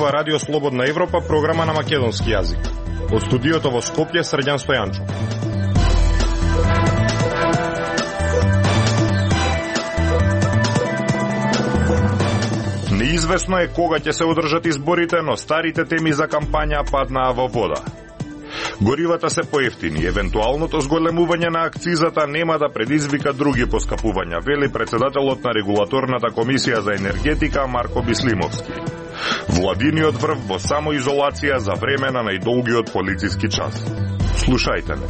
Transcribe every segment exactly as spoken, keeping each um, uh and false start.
зборува Радио Слободна Европа, програма на македонски јазик. Од студиото во Скопје, Срđan Стојанчов. Неизвестно е кога ќе се одржат изборите, но старите теми за кампања паднаа во вода. Горивата се поевтини, евентуалното зголемување на акцизата нема да предизвика други поскапувања, вели председателот на Регулаторната комисија за енергетика Марко Бислимовски. Владиниот врв во самоизолација за време на најдолгиот полициски час. Слушајте ме.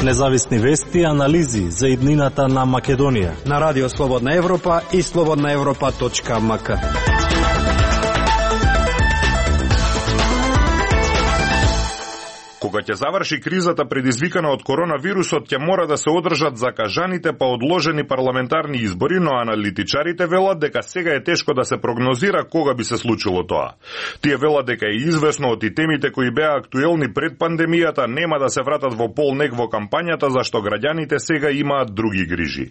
Независни вести и анализи за иднината на Македонија на Радио Слободна Европа и слободна европа точка ем ка. Кога ќе заврши кризата предизвикана од коронавирусот, ќе мора да се одржат закажаните па одложени парламентарни избори, но аналитичарите велат дека сега е тешко да се прогнозира кога би се случило тоа. Тие велат дека е известно од и темите кои беа актуелни пред пандемијата нема да се вратат во полнег во кампањата, зашто граѓаните сега имаат други грижи.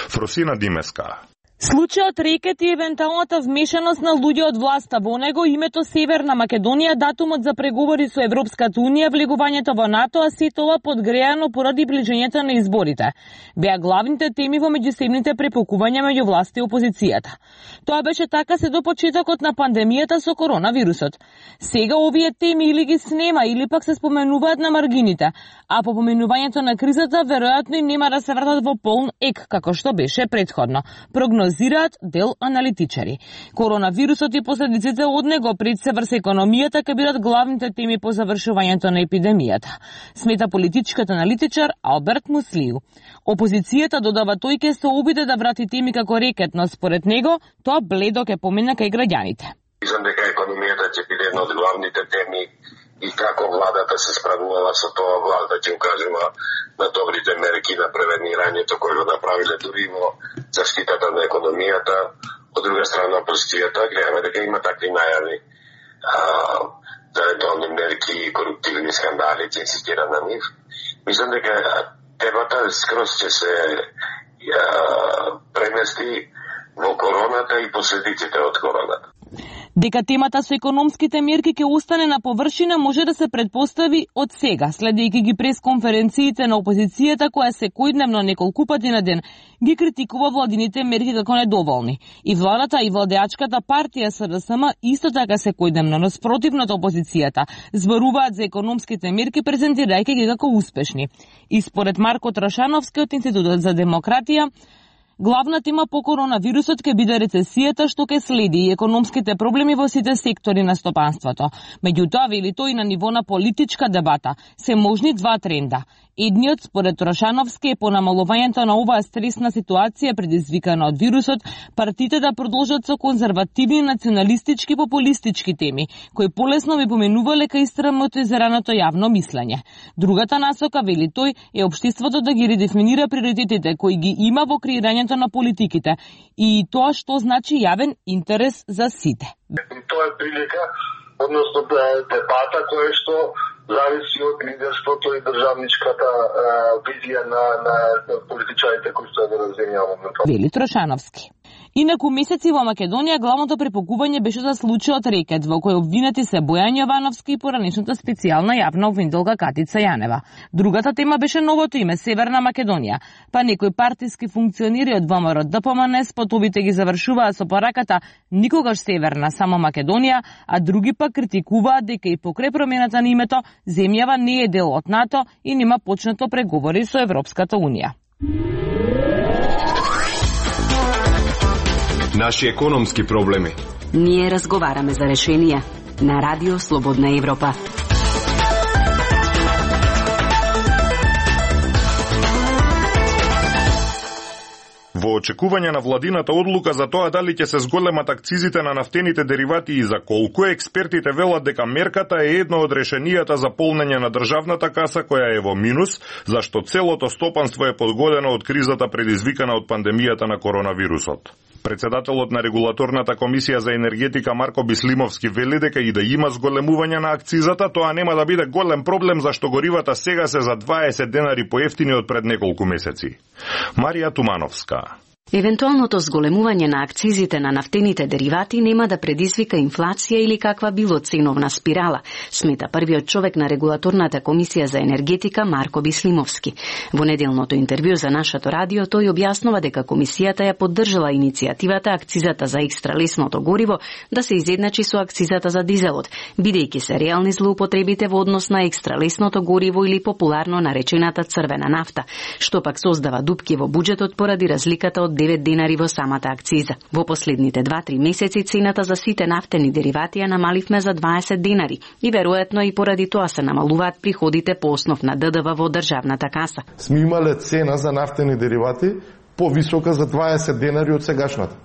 Фросина Димеска. Случајот Рекет и евентуалната вмешаност на луѓе од власта во него, името Северна Македонија, датумот за преговори со Европската унија, влегувањето во НАТО, а се тоа подгреано поради ближењето на изборите. Беа главните теми во меѓусебните препокувања меѓу власта и опозицијата. Тоа беше така се до почетокот на пандемијата со коронавирусот. Сега овие теми или ги снема, или пак се споменуваат на маргините, а по поменувањето на кризата веројатно и нема да се вратат во полн ек, како што беше претходно. Прогнозираат дел аналитичари. Коронавирусот и последиците од него пред се врз економијата ќе бидат главните теми по завршувањето на епидемијата, смета политичкиот аналитичар Алберт Муслиу. Опозицијата, додава тој, ќе се обиде да врати теми како Рекет, но според него тоа бледо ќе помине кај граѓаните. Мислам дека економијата ќе биде една од главните теми и како владата се справувала со тоа, влада ќе укажува на добрите мерки на превенирањето кои го направиле дури во заштитата на економијата. Од друга страна, опозицијата гледаме дека има такви најави за евентуални мерки и коруптивни скандали, ќе инсистира на нив. Мислам дека темата скроз ќе се а, премести во короната и последиците од короната. Дека темата со економските мерки ќе остане на површина може да се предпостави од сега, следејќи ги пресконференциите на опозицијата која секојдневно неколку пати на ден ги критикува владините мерки како недоволни. И владата и владеачката партија СДСМ исто така секојдневно, но спротивно од опозицијата, зборуваат за економските мерки презентирајќи ги како успешни. И според Марко Трашановски од Институтот за демократија, главна тема по коронавирусот ќе биде рецесијата што ќе следи и економските проблеми во сите сектори на стопанството. Меѓутоа, вели тој, на ниво на политичка дебата се можни два тренда. Едниот, според Трошановски, е по намалувањето на оваа стресна ситуација предизвикана од вирусот, партиите да продолжат со конзервативни, националистички, популистички теми, кои полесно би поменувале кај истрамотизираното јавно мислење. Другата насока, вели тој, е општеството да ги редефинира приоритетите кои ги има во креирањето на политиките и тоа што значи јавен интерес за сите. Тоа е прилика, односно дебата која што зависи од лидерството и државничката а, визија на, на политичарите кои што ја развијаваме. Вели Трошановски. Инаку месеци во Македонија главното препокување беше за случајот Рекет, во кој обвинети се Бојан Јовановски и поранешната специјална јавна обвинителка Катица Јанева. Другата тема беше новото име Северна Македонија, па некои партиски функционери од ВМРО Д П М Н спотовите ги завршуваат со пораката никогаш Северна, само Македонија, а други пак критикуваат дека и покрај промената на името земјава не е дел од НАТО и нема почнато преговори со Европската унија. Наши економски проблеми. Ние разговараме за решенија на Радио Слободна Европа. Во очекување на владината одлука за тоа дали ќе се зголемат акцизите на нафтените деривати и за колку, експертите велат дека мерката е едно од решенијата за полнење на државната каса која е во минус, зашто целото стопанство е подгодено од кризата предизвикана од пандемијата на коронавирусот. Председателот на Регулаторната комисија за енергетика Марко Бислимовски вели дека и да има зголемување на акцизата, тоа нема да биде голем проблем зашто горивата сега се за дваесет денари поевтини од пред неколку месеци. Марија Тумановска. Евентуалното зголемување на акцизите на нафтените деривати нема да предизвика инфлација или каква било ценовна спирала, смета првиот човек на регулаторната комисија за енергетика Марко Бислимовски. Во неделното интервју за нашето радио тој објаснува дека комисијата ја поддржала иницијативата акцизата за екстра лесното гориво да се изедначи со акцизата за дизелот, бидејќи се реални злоупотребите во однос на екстра лесното гориво или популарно наречената црвена нафта, што пак создава дупки во буџетот поради разликата од девет денари во самата акциза. Во последните два-три месеци цената за сите нафтени деривати ја намаливме за дваесет денари и веројатно и поради тоа се намалуваат приходите по основ на ДДВ во државната каса. Сме имале цена за нафтени деривати повисока за дваесет денари од сегашната.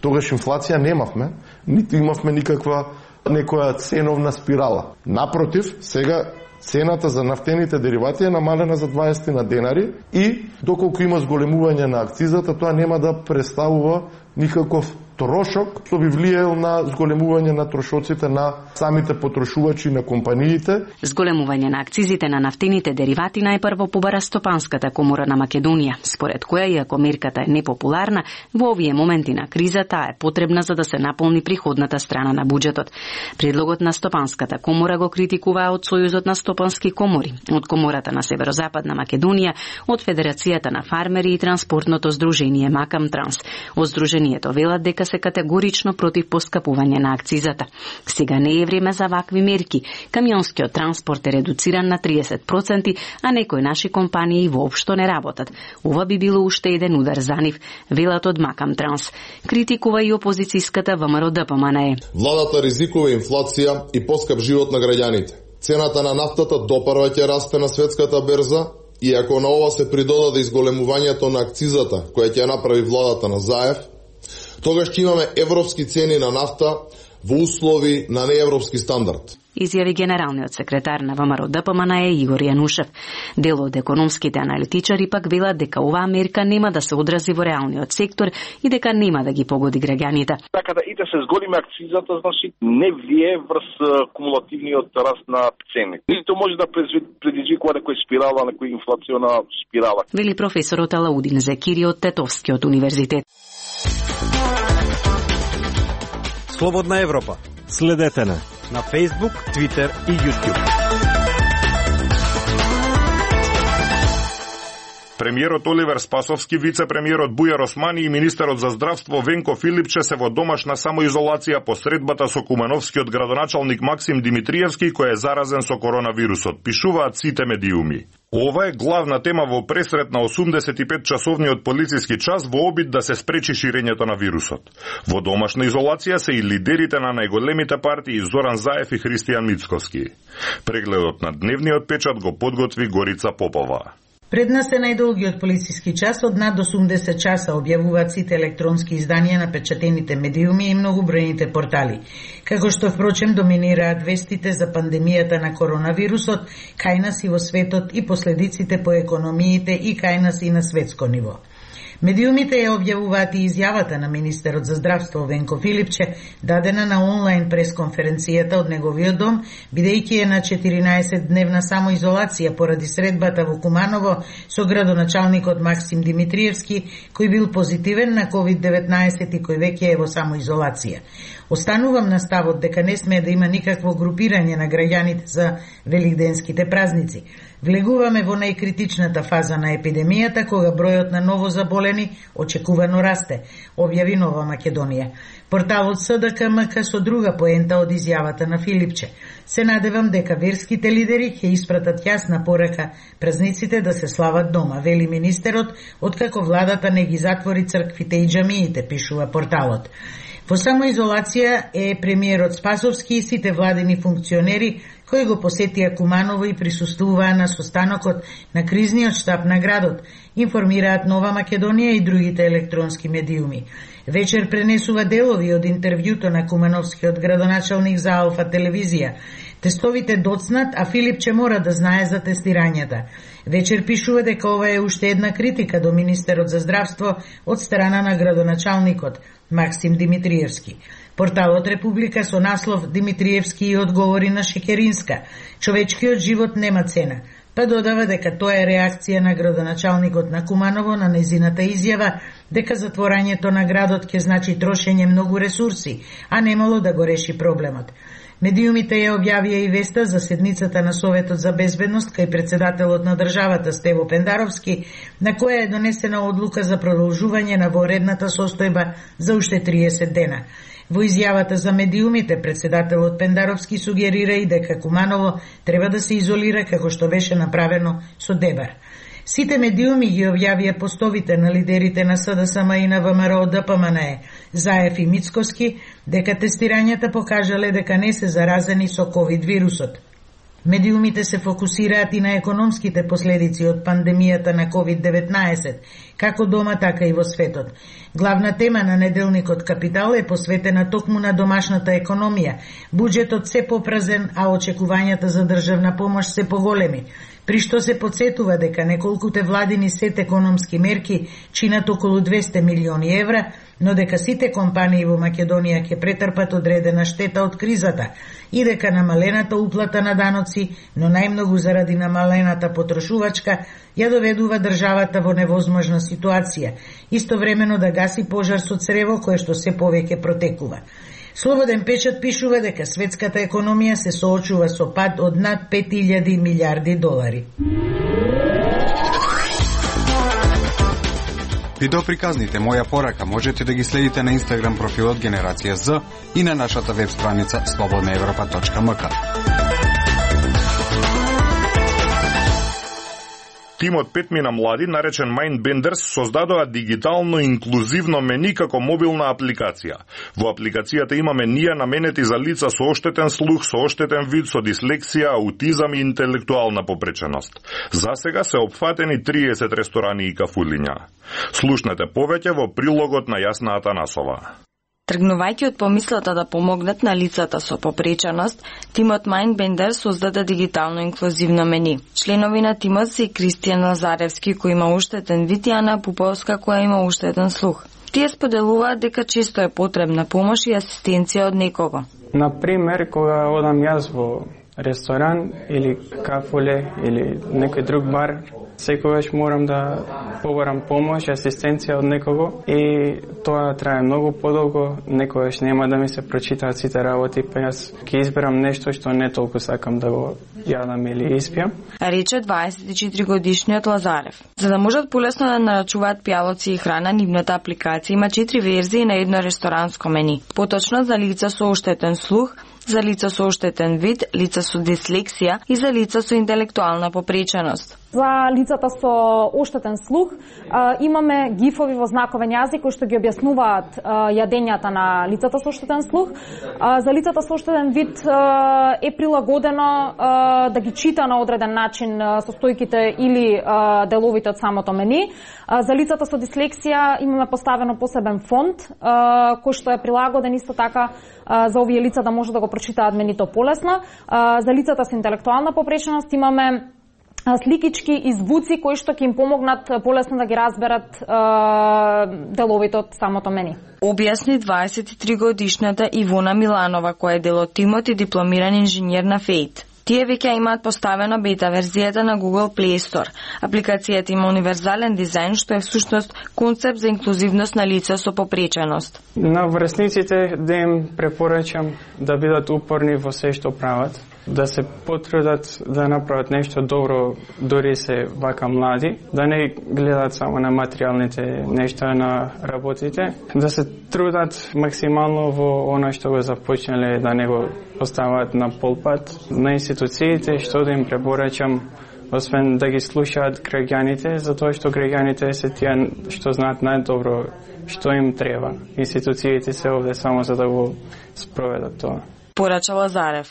Тогаш инфлација немавме, ниту имавме никаква некоја ценовна спирала. Напротив, сега цената за нафтените деривати е намалена за дваесет на денари и доколку има зголемување на акцизата, тоа нема да представува никаков трошок што би влијал на зголемување на трошоците на самите потрошувачи на компаниите. Зголемување на акцизите на нафтените деривати најпрво побара Стопанската комора на Македонија, според која, иако мерката е непопуларна, во овие моменти на криза таа е потребна за да се наполни приходната страна на буџетот. Предлогот на Стопанската комора го критикуваа од Сојузот на стопански комори, од Комората на Северозападна Македонија, од Федерацијата на фармери и транспортното здружение Макам Транс. Од здружението велат дека се категорично против поскапување на акцизата. Сега не е време за вакви мерки. Камионскиот транспорт е редуциран на триесет проценти, а некои наши компании воопшто не работат. Ова би било уште еден удар за нив, велат од Макам Транс. Критикува и опозицијската ВМРО Д П М Н Е. Владата ризикува инфлација и поскап живот на граѓаните. Цената на нафтата допарва ќе расте на светската берза и ако на ова се придодаде изголемувањето на акцизата која ќе направи владата на Заев, тогаш ќе имаме европски цени на нафта во услови на неевропски стандард. Изјави генералниот секретар на ВМРО Д П М Н Е Игор Јанушев. Дел од економските аналитичари пак велат дека оваа мерка нема да се одрази во реалниот сектор и дека нема да ги погоди граѓаните. Така да и да се зголеми акцизата, значи не влие врз кумулативниот раст на цени. Ниту може да предизвикува некоја спирала, некоја инфлациона спирала. Вели професорот Алаудин Зекири од Тетовскиот универзитет. Слободна Европа. Следете на на Facebook, Twitter и YouTube. Премиерот Оливер Спасовски, вице-премиерот Бујар Османи и министерот за здравство Венко Филипче се во домашна самоизолација по средбата со кумановскиот градоначалник Максим Димитриевски, кој е заразен со коронавирусот, пишуваат сите медиуми. Ова е главна тема во пресрет на осумдесет и пет часовниот полициски час во обид да се спречи ширењето на вирусот. Во домашна изолација се и лидерите на најголемите партии Зоран Заев и Христијан Мицковски. Прегледот на дневниот печат го подготви Горица Попова. Пред нас е најдолгиот полициски час од над осумдесет часа, објавуваат сите електронски изданија на печатените медиуми и многобројните портали. Како што впрочем доминираат вестите за пандемијата на коронавирусот, кај нас и во светот и последиците по економиите и кај нас и на светско ниво. Медиумите ја објавуваат и изјавата на министерот за здравство Венко Филипче, дадена на онлайн пресконференцијата од неговиот дом, бидејќи е на четиринаесет дневна самоизолација поради средбата во Куманово со градоначалникот Максим Димитриевски, кој бил позитивен на ковид деветнаесет и кој веќе е во самоизолација. Останувам на ставот дека не сме да има никакво групирање на граѓаните за великденските празници. Влегуваме во најкритичната фаза на епидемијата, кога бројот на ново заболени очекувано расте, објави Нова Македонија. Порталот С Д К М К со друга поента од изјавата на Филипче. Се надевам дека верските лидери ќе испратат јасна порака празниците да се слават дома, вели министерот, откако владата не ги затвори црквите и џамиите, пишува порталот. Во самоизолација е премиерот Спасовски и сите владени функционери кои го посетија Куманово и присуствуваа на состанокот на кризниот штаб на градот, информираат Нова Македонија и другите електронски медиуми. Вечер пренесува делови од интервјуто на кумановскиот градоначалник за Алфа телевизија. Тестовите доцнат, а Филипче мора да знае за тестирањата. Вечер пишува дека ова е уште една критика до министерот за здравство од страна на градоначалникот Максим Димитриевски. Порталот Република со наслов Димитриевски и одговори на Шекеринска. Човечкиот живот нема цена. па додава дека тоа е реакција на градоначалникот на Куманово на незината изјава дека затворањето на градот ќе значи трошење многу ресурси, а немало да го реши проблемот. Медиумите ја објавија и веста за седницата на Советот за безбедност кај председателот на државата Стево Пендаровски, на која е донесена одлука за продолжување на воредната состојба за уште триесет дена. Во изјавата за медиумите, председателот Пендаровски сугерира и дека Куманово треба да се изолира како што беше направено со Дебар. Сите медиуми ги објавија постовите на лидерите на СДСМ и на ВМРО ДПМНЕ, Заев и Мицкоски, дека тестирањата покажале дека не се заразени со ковид вирусот. Медиумите се фокусираат и на економските последици од пандемијата на ковид деветнаесет, како дома, така и во светот. Главна тема на неделникот Капитал е посветена токму на домашната економија. Буџетот се попразен, а очекувањата за државна помош се поголеми, при што се подсетува дека неколкуте владини сет економски мерки чинат околу двесте милиони евра, но дека сите компании во Македонија ќе претрпат одредена штета од кризата и дека намалената уплата на даноци, но најмногу заради намалената потрошувачка, ја доведува државата во невозможна ситуација, истовремено да гаси пожар со црево кое што се повеќе протекува. Слободен печат пишува дека светската економија се соочува со пад од над пет илјади милијарди долари. Видеоприказните Моја порака можете да ги следите на Инстаграм профилот Генерација З и на нашата веб страница слободна европа точка ем ка. Тимот петмина млади, наречен Mindbenders, создадоа дигитално инклузивно мени како мобилна апликација. Во апликацијата има менија наменети за лица со оштетен слух, со оштетен вид, со дислексија, аутизам и интелектуална попреченост. Засега се опфатени триесет ресторани и кафулиња. Слушнете повеќе во прилогот на Јасна Атанасова. Тргнувајќи од помислата да помогнат на лицата со попреченост, тимот Mindbenders создаде дигитално инклузивно мени. Членови на тимот се Кристијан Лазаревски, кој има уштетен вид, и Ана Пуповска, која има уштетен слух. Тие споделуваат дека често е потребна помош и асистенција од некого. Например, кога одам јас во ресторан или кафуле или некој друг бар, секогаш морам да побарам помош и асистенција од некого и тоа трае многу подолго, некогаш нема да ми се прочитаат сите работи, па јас ќе изберам нешто што не толку сакам да го јадам или испијам. Рече дваесет и четири годишниот Лазарев. За да можат полесно да нарачуваат пијалоци и храна, нивната апликација има четири верзии на едно ресторанско мени. Поточно за лица со оштетен слух, за лица со оштетен вид, лица со дислексија и за лица со интелектуална попреченост. За лицата со оштетен слух имаме гифови во знаковен јазик кои што ги објаснуваат јадењата на лицата со оштетен слух. За лицата со оштетен вид е прилагодено да ги чита на одреден начин состојките или деловите од самото мени. За лицата со дислексија имаме поставено посебен фонд кој што е прилагоден исто така за овие лица да може да го прочитаат менито полесно. За лицата со интелектуална попреченост имаме сликички и звуци кои што ќе им помогнат полесно да ги разберат е, деловите од самото мени. Објасни дваесет и три годишната Ивона Миланова, која е дел од тимот и дипломиран инженер на ФЕЙТ. Тие веќе имаат поставено бета верзијата на Google Play Store. Апликацијата има универзален дизајн, што е всушност концепт за инклузивност на лица со попреченост. На врсниците да им препорачам да бидат упорни во се што прават, да се потрудат да направат нешто добро, дори се вака млади, да не гледат само на материјалните нешта на работите, да се трудат максимално во она што го започнале, да не го поставаат на полпат. На институциите што да им препорачам, освен да ги слушаат граѓаните, затоа што граѓаните се тие што знаат најдобро што им треба. Институциите се овде само за да го спроведат тоа. Порача Лазарев.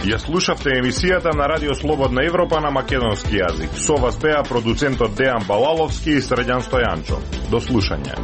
Ја слушавте емисијата на Радио Слободна Европа на македонски јазик. Со вас беа продуцентот Дејан Балаловски и Средјан Стојанчо. До слушање.